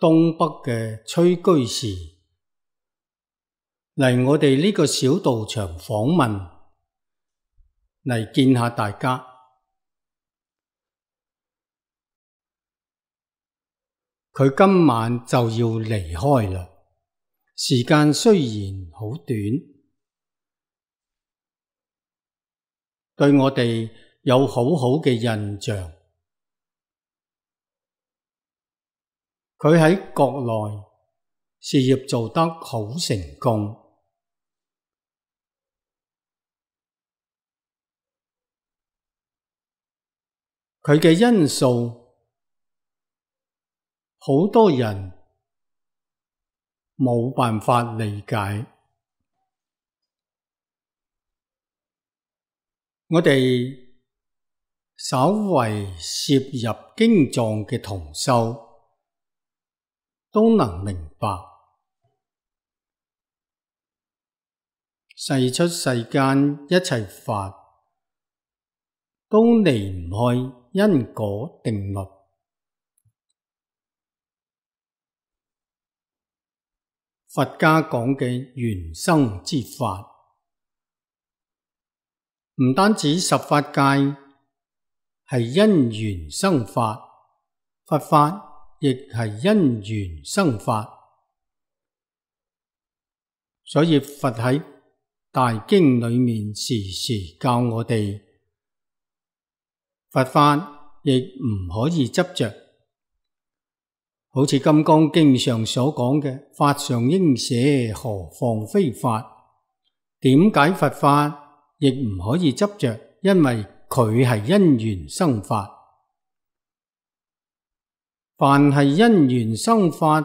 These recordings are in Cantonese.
東北嘅崔居士嚟我哋呢個小道場訪問，嚟見下大家。佢今晚就要離開啦，時間雖然好短，對我哋有好好嘅印象。佢喺國內事業做得好成功，佢嘅因素好多人冇辦法理解。我哋稍為涉入經藏嘅同修都能明白，世出世間一切法都離唔開因果定律。佛家講嘅緣生之法，唔單止十法界係因緣生法，佛法亦係因緣生法，所以佛喺大經裏面時時教我哋，佛法亦唔可以執着，好似《金剛經》上所講嘅，法上應捨，何況非法？點解佛法亦唔可以執着？因為佢係因緣生法。凡係因緣生法，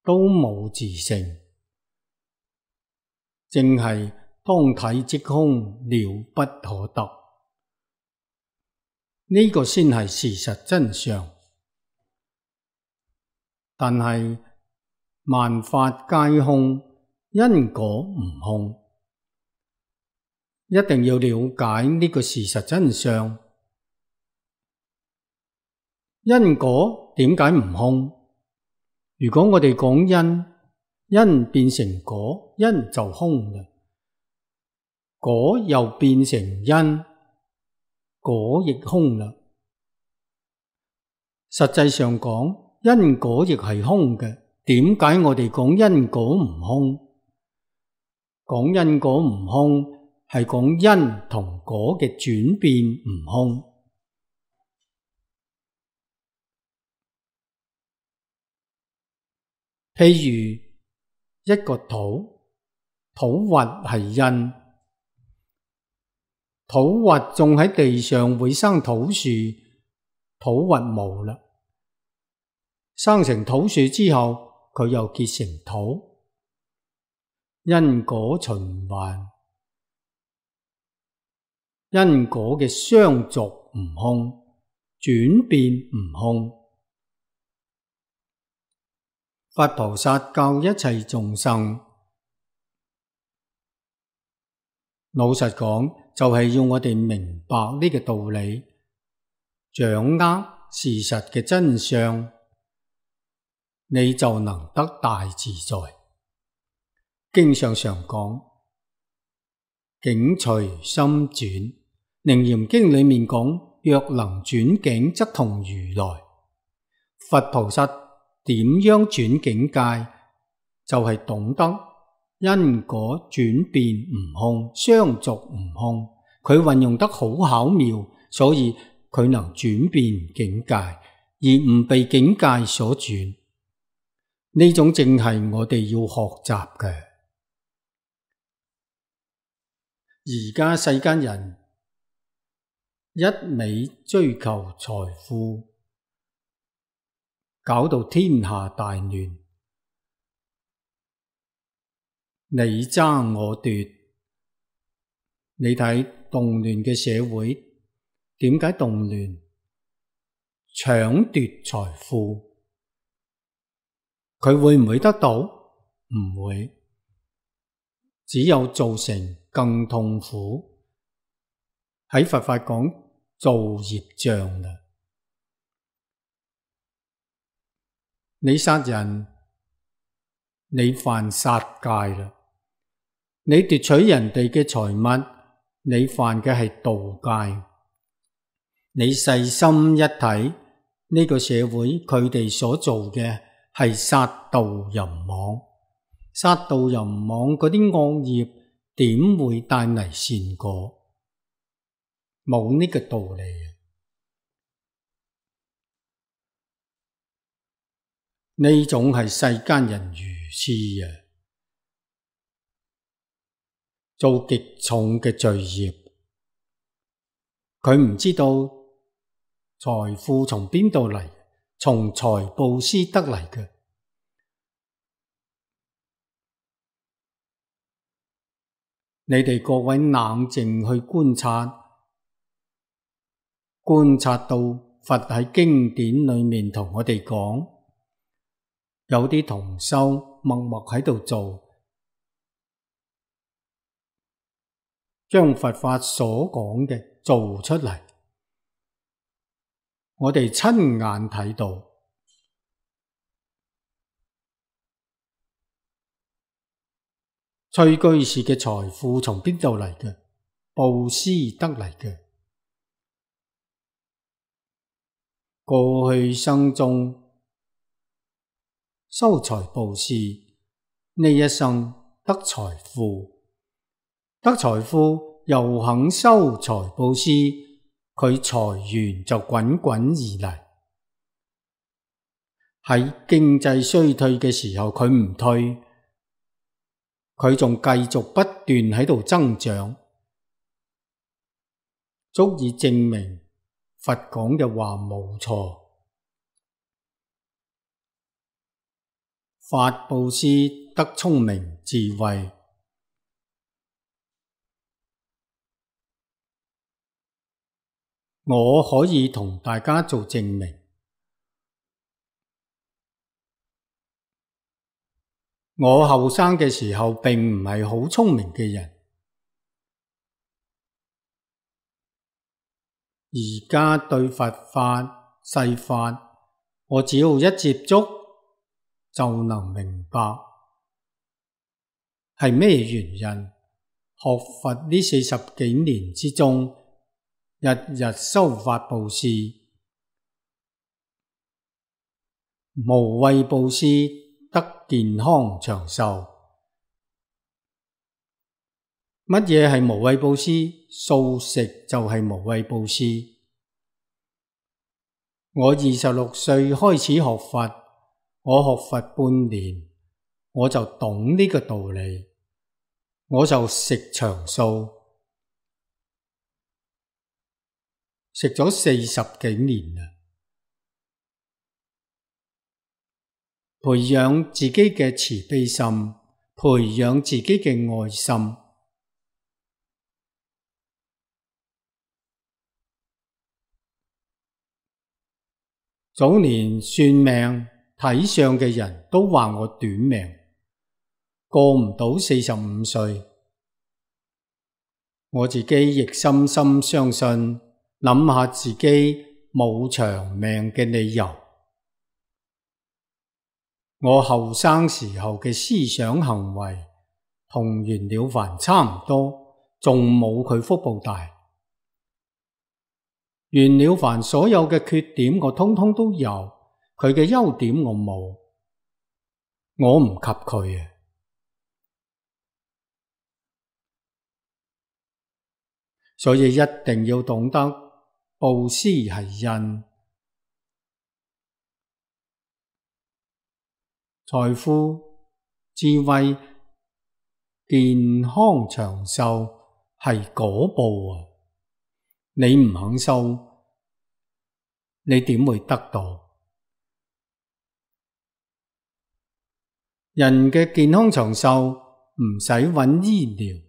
都冇自性，正係當體即空，了不可得。呢個先係事實真相。但係萬法皆空，因果唔空，一定要了解呢個事實真相。因果點解唔空？如果我哋講因，因變成果，因就空啦。果又變成因，果亦空啦。實際上講，因果亦係空嘅。點解我哋講因果唔空？講因果唔空，係講因同果嘅轉變唔空。譬如一個土核係因，土核種喺地上會生土樹，土核冇啦，生成土樹之後，佢又結成土，因果循環，因果嘅相續唔空，轉變唔空。佛菩薩教一切眾生，老實講，就係要我哋明白呢個道理，掌握事實嘅真相，你就能得大自在。經上常講，境隨心轉。楞嚴經裏面講，若能轉境，則同如來。佛菩薩點樣轉境界？就係懂得因果轉變唔空，相續唔空。佢運用得好巧妙，所以佢能轉變境界，而唔被境界所轉。呢種正係我哋要學習嘅。而家世間人一味追求財富，搞到天下大亂，你爭我奪。你睇動亂嘅社會，點解動亂？搶奪財富，佢會唔會得到？唔會，只有造成更痛苦。喺佛法講造業障啦。你殺人，你犯殺戒啦；你奪取人哋嘅財物，你犯嘅係盜戒。你細心一睇，呢個社會佢哋所做嘅係殺盜淫妄，殺盜淫妄嗰啲惡業點會帶嚟善果？冇呢個道理啊！呢種係世間人愚痴啊，做極重嘅罪業。佢唔知道財富從邊度嚟，從財布施得嚟嘅。你哋各位冷靜去觀察到佛喺經典裏面同我哋講，有啲同修默默喺度做，將佛法所講嘅做出嚟，我哋親眼睇到。崔居士嘅財富從邊度嚟嘅？布施得嚟嘅。過去生中修財布施，呢一生得財富，得財富又肯修財布施，佢財源就滾滾而嚟。喺經濟衰退嘅時候，佢唔退，佢仲繼續不斷喺度增長，足以證明佛講嘅話冇錯。法布施得聰明智慧，我可以同大家做證明。我後生嘅時候並唔係好聰明嘅人，而家對佛法、世法，我只要一接觸就能明白係咩原因。學佛呢40幾年之中，日日修法布施，無畏布施得健康長壽。乜嘢係無畏布施？素食就係無畏布施。我26歲開始學佛，我學佛半年，我就懂呢個道理，我就食長素，食咗40幾年啦。培養自己嘅慈悲心，培養自己嘅愛心。早年算命睇相嘅人都話我短命，過唔到45歲。我自己亦深深相信，諗下自己冇長命嘅理由。我後生時候嘅思想行為同袁了凡差唔多，仲冇佢福報大。袁了凡所有嘅缺點我通通都有，佢嘅優點我冇，我唔及佢啊。所以一定要懂得布施係因，財富、智慧、健康長壽係果報啊！你唔肯修，你點會得到？人嘅健康長壽唔使揾醫療，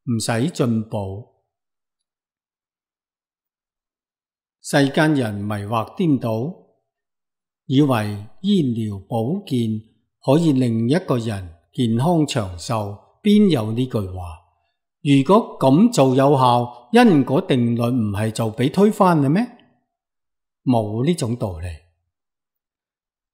唔使進補。世間人迷惑顛倒，以為醫療保健可以令一個人健康長壽，邊有呢句話？如果咁做有效，因果定律唔係就俾推翻啦咩？冇呢種道理。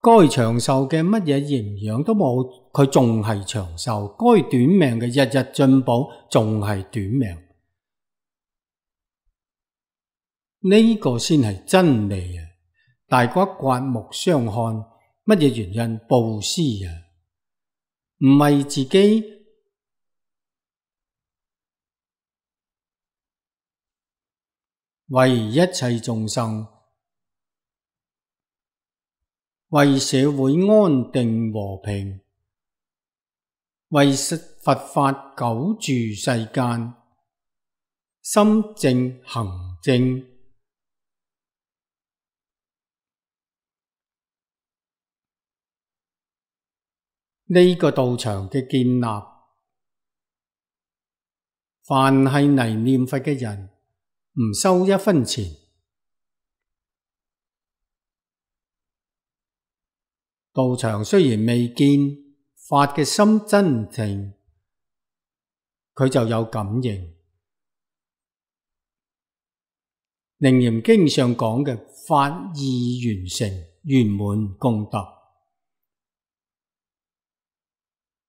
該長壽嘅乜嘢營養都冇，佢仲係長壽；該短命嘅日日進步，仲係短命。呢個先係真理啊！大家刮目相看，乜嘢原因？布施啊，唔係自己為一切眾生，為社會安定和平，為佛法久住世間，心正行正。呢個道場嘅建立，凡係嚟念佛嘅人，唔收一分錢。道場雖然未見法嘅心真正，佢就有感應。楞嚴經上講嘅法義完成圓滿功德，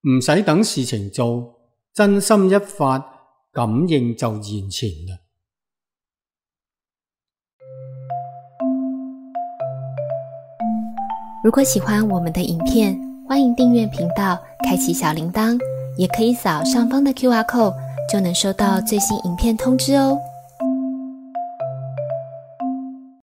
唔使等事情做，真心一發，感應就現前啦。如果喜歡我們的影片，歡迎訂閱頻道，開啟小鈴鐺，也可以掃上方的QR code，就能收到最新影片通知哦。